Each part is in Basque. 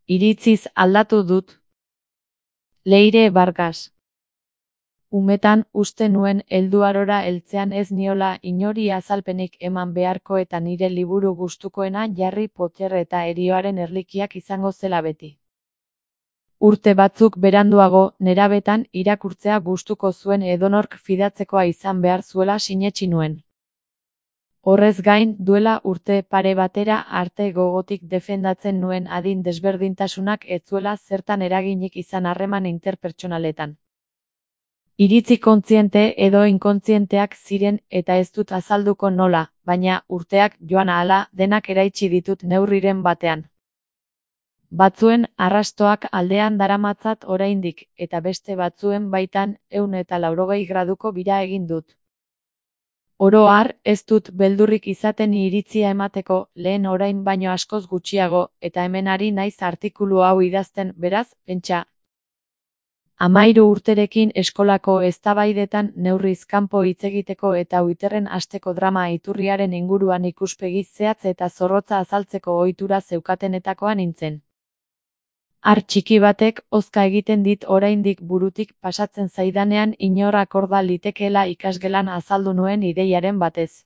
Iritziz aldatu dut. Leire Vargas. Umetan uste nuen helduarora heltzean ez niola inori azalpenik eman beharko eta nire liburu gustukoena Harry Potter eta Herioaren erlikiak izango zela beti. Urte batzuk beranduago, nerabetan irakurtzea gustuko zuen edonork fidatzekoa izan behar zuela sinetsi nuen. Horrez gain, duela urte pare batera arte gogotik defendatzen nuen adin desberdintasunak ez zuela zertan eraginik izan harreman interpertsonaletan. Iritzi kontziente edo inkontzienteak ziren eta ez dut azalduko nola, baina urteak joan ahala denak eraitsi ditut neurriren batean. Batzuen arrastoak aldean daramatzat oraindik, eta beste batzuen baitan 180 graduko bira egin dut. Oro har, ez dut beldurrik izaten iritzia emateko, lehen orain baino askoz gutxiago, eta hemen ari naiz artikulu hau idazten, beraz, pentsa. 13 urterekin eskolako eztabaidetan neurriz kanpo hitz egiteko eta Twitterren hasteko drama iturriaren inguruan ikuspegi zehatz eta zorrotza azaltzeko ohitura zeukatenetakoa nintzen. Har txiki batek hozka egiten dit oraindik burutik pasatzen zaidanean inor akorda litekeela ikasgelan azaldu nuen ideiaren batez.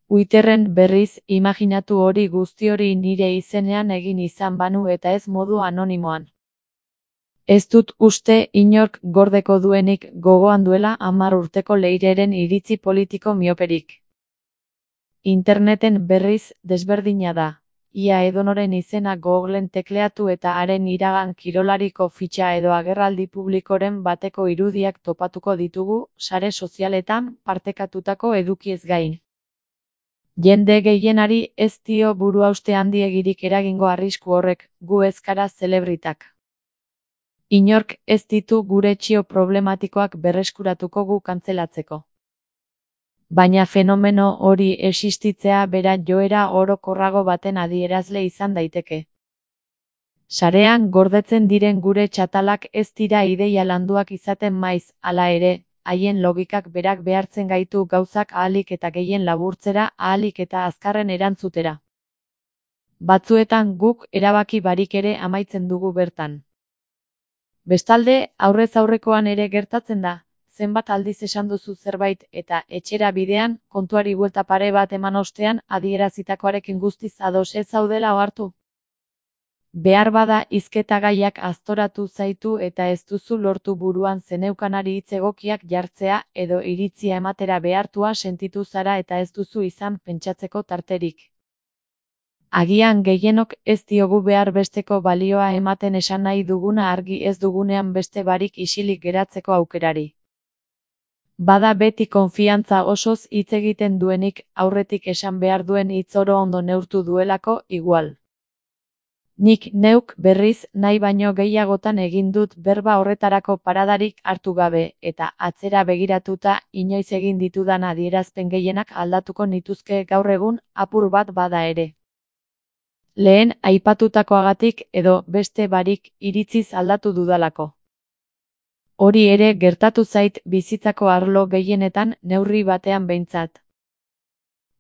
Twitterren berriz, imaginatu hori guzti hori nire izenean egin izan banu eta ez modu anonimoan. Ez dut uste inork gordeko duenik gogoan duela 10 urteko Leireren iritzi politiko mioperik. Interneten berriz desberdina da. Ia edonoren izena Googlen tekleatu eta haren iragan kirolariko fitxa edo agerraldi publikoren bateko irudiak topatuko ditugu, sare sozialetan partekatutako edukiez gain. Jende gehienari ez dio buruhauste handiegirik eragingo arrisku horrek, gu ez gara zelebritak. Inork ez ditu gure txio problematikoak berreskuratuko gu kantzelatzeko. Baina fenomeno hori existitzea bera joera orokorrago baten adierazle izan daiteke. Sarean gordetzen diren gure txatalak ez dira ideia landuak izaten maiz, hala ere, haien logikak berak behartzen gaitu gauzak ahalik eta gehien laburtzera, ahalik eta azkarren erantzutera. Batzuetan guk erabaki barik ere amaitzen dugu bertan. Bestalde, aurrez aurrekoan ere gertatzen da, zenbat aldiz esan duzu zerbait eta etxera bidean, kontuari buelta pare bat eman ostean adierazitakoarekin guztiz ados ez zaudela ohartu. Behar bada hizketa gaiak aztoratu zaitu eta ez duzu lortu buruan zeneukanari hitz egokiak jartzea edo iritzia ematera behartua sentitu zara eta ez duzu izan pentsatzeko tarterik. Agian gehienok ez diogu behar besteko balioa ematen esan nahi duguna argi ez dugunean beste barik isilik geratzeko aukerari. Bada beti konfiantza osoz hitz egiten duenik aurretik esan behar duen hitz oro ondo neurtu duelako igual. Nik neuk berriz nahi baino gehiagotan egin dut berba horretarako paradarik hartu gabe eta atzera begiratuta inoiz egin ditudan adierazpen gehienak aldatuko nituzke gaur egun apur bat bada ere. Lehen aipatutakoagatik edo beste barik iritziz aldatu dudalako. Hori ere gertatu zait bizitzako arlo gehienetan neurri batean behintzat.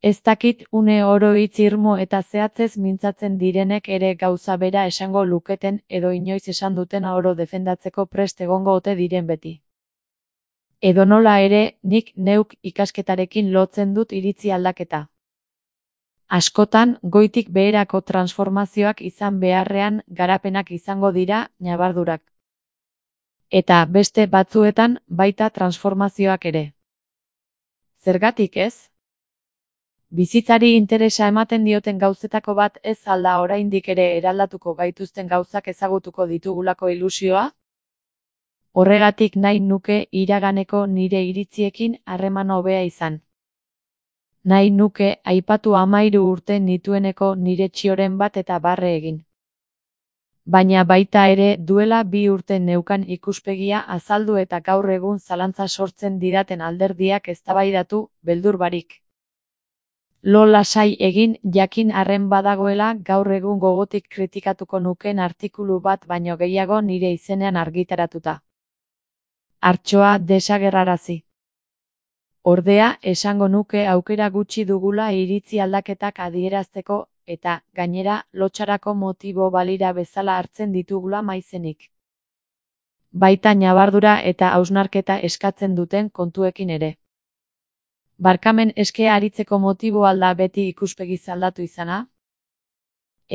Ez dakit une oro hitz irmo eta zehatzez mintzatzen direnek ere gauza bera esango luketen edo inoiz esan duten oro defendatzeko prest egongo ote diren beti. Edonola ere, nik neuk ikasketarekin lotzen dut iritzi aldaketa. Askotan, goitik beherako transformazioak izan beharrean garapenak izango dira, ñabardurak. Eta beste batzuetan baita transformazioak ere. Zergatik ez? Bizitzari interesa ematen dioten gauzetako bat ez alda oraindik ere eraldatuko gaituzten gauzak ezagutuko ditugulako ilusioa? Horregatik nahi nuke iraganeko nire iritziekin harreman hobea izan. Nahi nuke aipatu 13 urte nitueneko nire txioren bat eta barre egin. Baina baita ere duela 2 urte neukan ikuspegia azaldu eta gaur egun zalantza sortzen didaten alderdiak eztabaidatu, beldur barik. Lo lasai egin jakin arren badagoela gaur egun gogotik kritikatuko nuken artikulu bat baino gehiago nire izenean argitaratuta. Hartxoa desagerrarazi. Ordea, esango nuke aukera gutxi dugula iritzi aldaketak adierazteko eta, gainera, lotxarako motibo balira bezala hartzen ditugula maizenik. Baita ñabardura eta hausnarketa eskatzen duten kontuekin ere. Barkamen eskea aritzeko motibo alda beti ikuspegiz aldatu izana?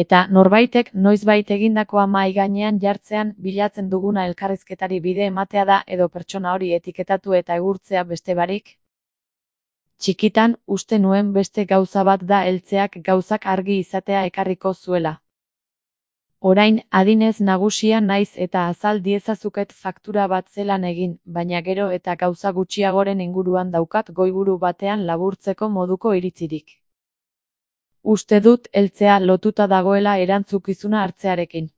Eta norbaitek noizbait egindakoa mahai gainean jartzean bilatzen duguna elkarrizketari bide ematea da edo pertsona hori etiketatu eta egurtzea beste barik? Txikitan, uste nuen beste gauza bat da heltzeak gauzak argi izatea ekarriko zuela. Orain, adinez nagusia naiz eta azal diezazuket faktura bat zelan egin, baina gero eta gauza gutxiagoren inguruan daukat goiburu batean laburtzeko moduko iritzirik. Uste dut heltzea lotuta dagoela erantzukizuna hartzearekin.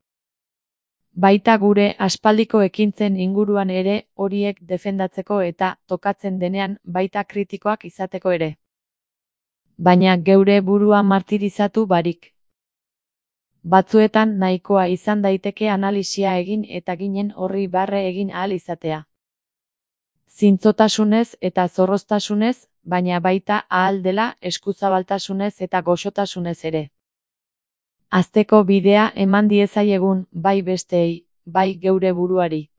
Baita gure aspaldiko ekintzen inguruan ere horiek defendatzeko eta tokatzen denean baita kritikoak izateko ere. Baina geure burua martirizatu barik. Batzuetan nahikoa izan daiteke analisia egin eta ginen horri barre egin ahal izatea. Zintzotasunez eta zorroztasunez, baina baita ahal dela eskuzabaltasunez eta goxotasunez ere. Hazteko bidea eman diezaiegun bai besteei, bai geure buruari.